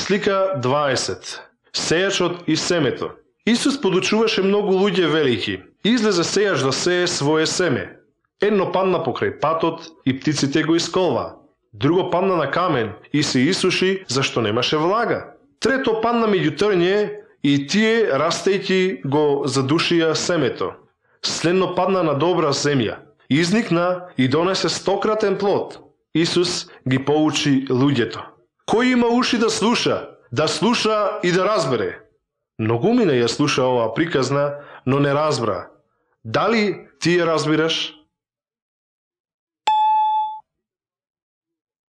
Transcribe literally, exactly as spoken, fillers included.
Слика дваесет. Сејачот и семето. Исус подучуваше многу луѓе велики. Излезе сејач да сее свое семе. Едно падна покрај патот и птиците го исколва. Друго падна на камен и се исуши зашто немаше влага. Трето падна меѓу трње и тие растејќи го задушија семето. Следно падна на добра земја. Изникна и донесе стократен плод. Исус ги поучи луѓето. Кој има уши да слуша, да слуша и да разбере. Многумина ја слуша оваа приказна, но не разбра. Дали ти ја разбираш?